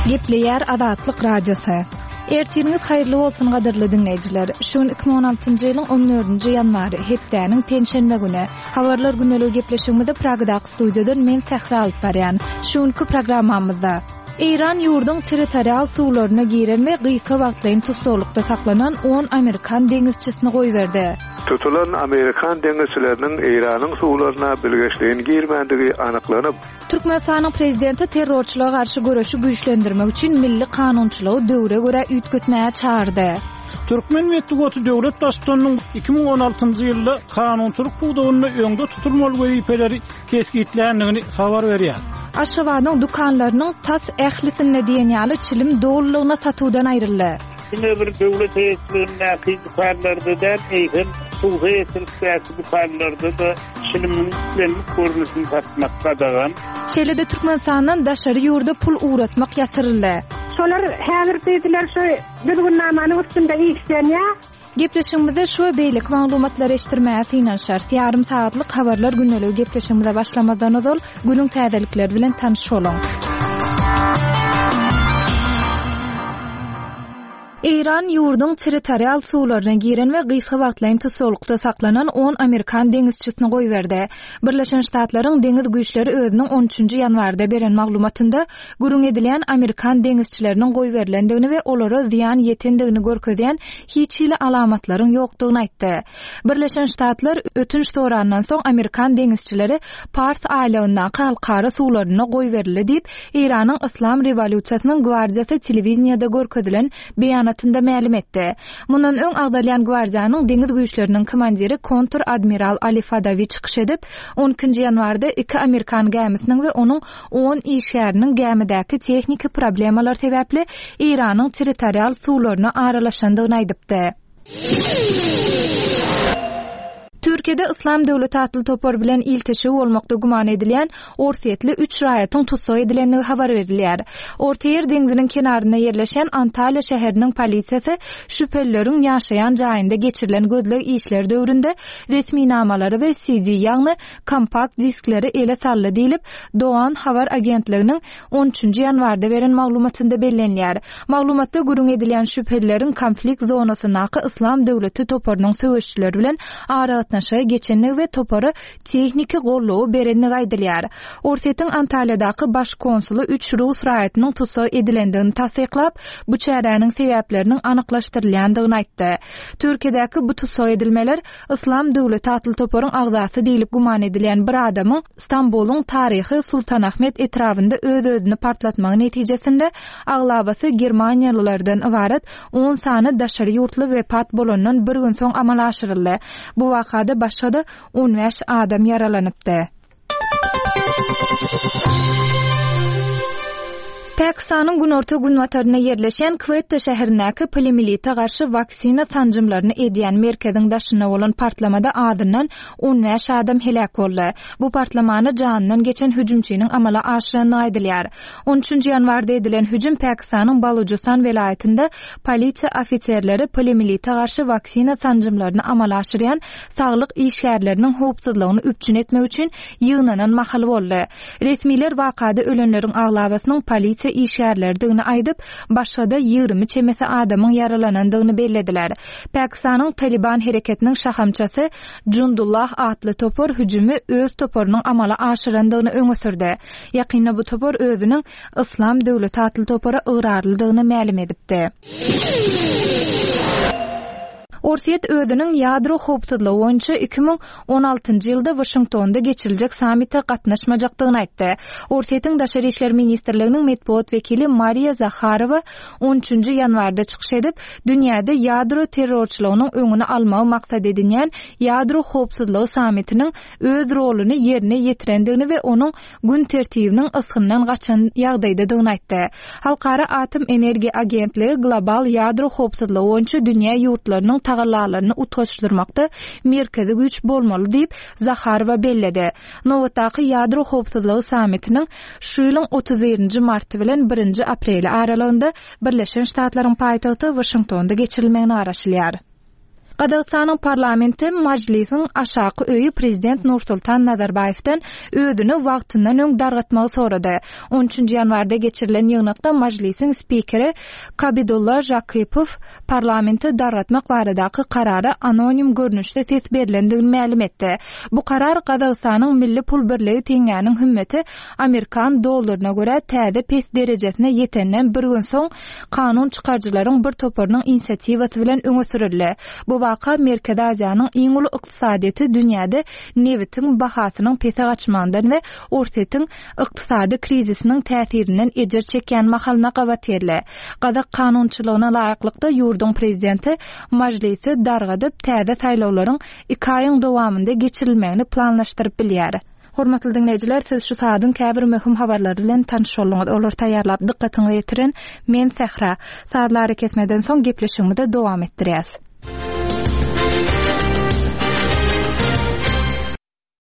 Gepleýär Azatlyk Radiosy. Ertiriňiz haýyrly bolsun gadyrly diňleýjiler. Şu gün 2016-njy ýylyň 14-nji ýanwary, hepdäniň penşenbe güni. Habarlar gündeligi gepleşigimizi Pragadaky studiýadan men Sähra alyp barýan. Şu günki programmamyzda Eýran ýurduň territorial suwlaryna giren we gysga wagtlaýyn tussaglykda saklanan on amerikan deňizçisini goýberdi. Tutulan amerikan deňizçileriniň Eýranyň suwlaryna bilgeşleýin girmändigi anyklanyp, Türkmenistanyň Prezidenti terrorçylyga garşy göreşi güýçlendirmek üçin milli kanunçylygy döwre görä üýtgetmäge çagyrdy. Türkmen metbugaty döwlet Baştutanynyň 2016-njy ýylda kanunçylyk pudagynda öňde tutulmaly wezipeleri kesgitländigini habar berýär. Aşgabadyň dükanlarynyň tas ählisinde diýen ýaly çilim dolulygyna satuwdan aýryldy. Diňe bir döwlet eýeçiligindäki dükanlarda däl, eýsem, hususy eýeçilikdäki dükanlarda-da çilimiň islendik görnüşini satmak gadagan. Şeýle-de Türkmenistandan daşary ýurda pul ugratmak ýatyryldy. Şolar häzir diýdiler şu düzgünnamanyň üstünde işlenýär. Gepleşigimizde şu we beýleki maglumatlary eşitdirmäge synanyşarys. Ýarym sagatlyk Habarlar gündeligi gepleşigimize başlamazdan ozal, günüň täzelikleri bilen tanyş boluň. Eýran ýurduň territorial suwlaryna giren we gysga wagtlaýyn tussaglykda saklanan on amerikan deňizçisini goýberdi. Birleşen Ştatlaryň deňiz güýçleri özüniň on üçünji ýanwarda beren maglumatynda, gürrüň edilýän amerikan deňizçileriniň goýberilendigini we olara zyýan ýetendigini görkezýän hiç hili alamatlaryň ýokdugyny aýtdy. Birleşen Ştatlar ötünç sorandan soň amerikan deňizçileri Pars aýlagyndaky halkara suwlarynda goýberildi diýip, Eýranyň Yslam rewolýusiýasynyň gwardiýasy telewideniýede görkezilen beýanatynda mälim etdi. Mundan öň agzalýan gwardiýanyň deňiz güýçleriniň komandiri kontr-admiral Ali Fadawi çykyş edip, on ikinji ýanwarda iki amerikan gämisiniň we onuň on işgäriniň gämidäki tehniki problemalar sebäpli Eýranyň territorial suwlaryna aralaşandygyny aýdypdy. Türkiýede Yslam döwleti atly topar bilen ilteşigi bolmakda güman edilýän orsýetli üç raýatyň tussag edilendigi habar berilýär. Ortaýer deňziniň kenarynda ýerleşýän Antalýa şäheriniň polisiýasy şübhelileriň ýaşaýan jaýynda geçirilen gözleg işleri döwründe resminamalary we CD, ýagny kompakt diskleri ele saldy diýlip, Dogan habar agentliginiň on üçünji ýanwarda beren maglumatynda bellenilýär. Maglumatda gürrüň edilýän şübhelileriň konflikt zonasyndaky Yslam döwleti toparynyň söweşijileri bilen aragatnaşyga geçendigi we topara tehniki goldawy berendigi aýdylýar. Orsýetiň Antalýadaky baş konsuly üç rus raýatynyň tussag edilendigini tassyklap, bu çäräniň sebäpleriniň anyklaşdyrylýandygyny aýtdy. Türkiýedäki bu tussag edilmeler Yslam döwleti atly toparyň agzasy diýlip güman edilýän bir adamyň Stambulyň taryhy Sultanahmet etrabynda öz-özüni partlatmagy netijesinde aglabasy germaniýalylardan ybarat on sany daşary ýurtly wepat bolandan bir gün soň amala aşyryldy. Bu wakada başga-da on bäş adam ýaralanypdy. Pakistanyň günorta-günbatarynda ýerleşýän Kwetta şäherindäki poliomielite garşy waksina sanjymlaryny edýän merkeziň daşynda bolan partlamada azyndan 15 adam heläk boldy. Bu partlamany janyndan geçen hüjümçiniň amala aşyrandygy aýdylýar. On üçünji ýanwarda edilen hüjüm Pakistanyň Balujystan welaýatynda polisiýa ofiserleri poliomielite garşy waksina sanjymlaryny amala aşyrýan saglyk işgärleriniň howpsuzlygyny üpjün etmek üçin ýygnanan mahaly boldy. Resmiler wakada ölenleriň aglabasynyň polisiýa işgärleridigini aýdyp, başga-da 20 çemesi adamyň ýaralanandygyny bellediler. Pakistanyň Talyban hereketiniň şahamçasy Jundullah atly topar hüjümi öz toparynyň amala aşyrandygyny öňe sürdi. Ýakynda bu topar özüniň Yslam döwleti atly topara ygrarlydygyny mälim edipdi. Orsýet özüniň ýadro howpsuzlygy boýunça 2016-njy ýylda Waşingtonda geçiriljek sammite gatnaşmajakdygyny aýtdy. Orsýetiň Daşary işler ministrliginiň metbugat wekili Mariýa Zaharowa on üçünji ýanwarda çykyş edip, dünýäde ýadro terrorçylygynyň öňüni almagy maksat edinýän ýadro howpsuzlygy sammitiniň öz roluny ýerine ýetirendigini we onuň gün tertibiniň ysgyndan gaçan ýagdaýdadygyny aýtdy. Halkara atom energiýa agentligi global ýadro howpsuzlygy boýunça dünýä ýurtlarynyň tagallalaryny utgaşdyrmakda merkezi güýç bolmaly diýip, Zaharowa belledi. Nobatdaky ýadro howpsuzlygy sammitiniň şu ýylyň 31 nji marty bilen birinji apreli aralygynda Birleşen Ştatlaryň paýtagty Waşingtonda geçirilmegine garaşylýar. Gazagystanyň parlamenti Majlisiň aşaky öýi prezident Nursultan Nazarbaýewden özüni wagtyndan öň dargatmagy sorady. On üçünji ýanwarda geçirilen ýygnakda Majlisiň spikeri Kabidulla Žakypow parlamenti dargatmak baradaky karara anonim görnüşde ses berlendigini mälim etdi. Bu karar Gazagystanyň milli pul birligi teňňäniň hümmeti amerikan dollaryna görä täze pes derejesine ýetenden bir gün soň kanun çykaryjylaryň bir toparynyň inisiatiwasy bilen öňe sürüldi. Bu waka Merkezi Aziýanyň iň uly ykdysadyýeti dünýäde nebitiň bahasynyň pese gaçmagyndan we Orsýetiň ykdysady krizisiniň täsirinden ejir çekýän mahalyna gabat geldi. Gazak kanunçylygyna laýyklykda, ýurduň prezidenti Mažlisi dargadyp, täze saýlawlaryň iki aýyň dowamynda geçirilmegini planlaşdyryp bilýär. Hormatly diňleýjiler, siz şu saadyň käbir möhüm habarlary bilen tanyş bolduňyz. Olary taýýarlap dykgatyňyza ýetiren men Sähra. Sazly arakesmeden soň gepleşigimizi dowam etdirýäs.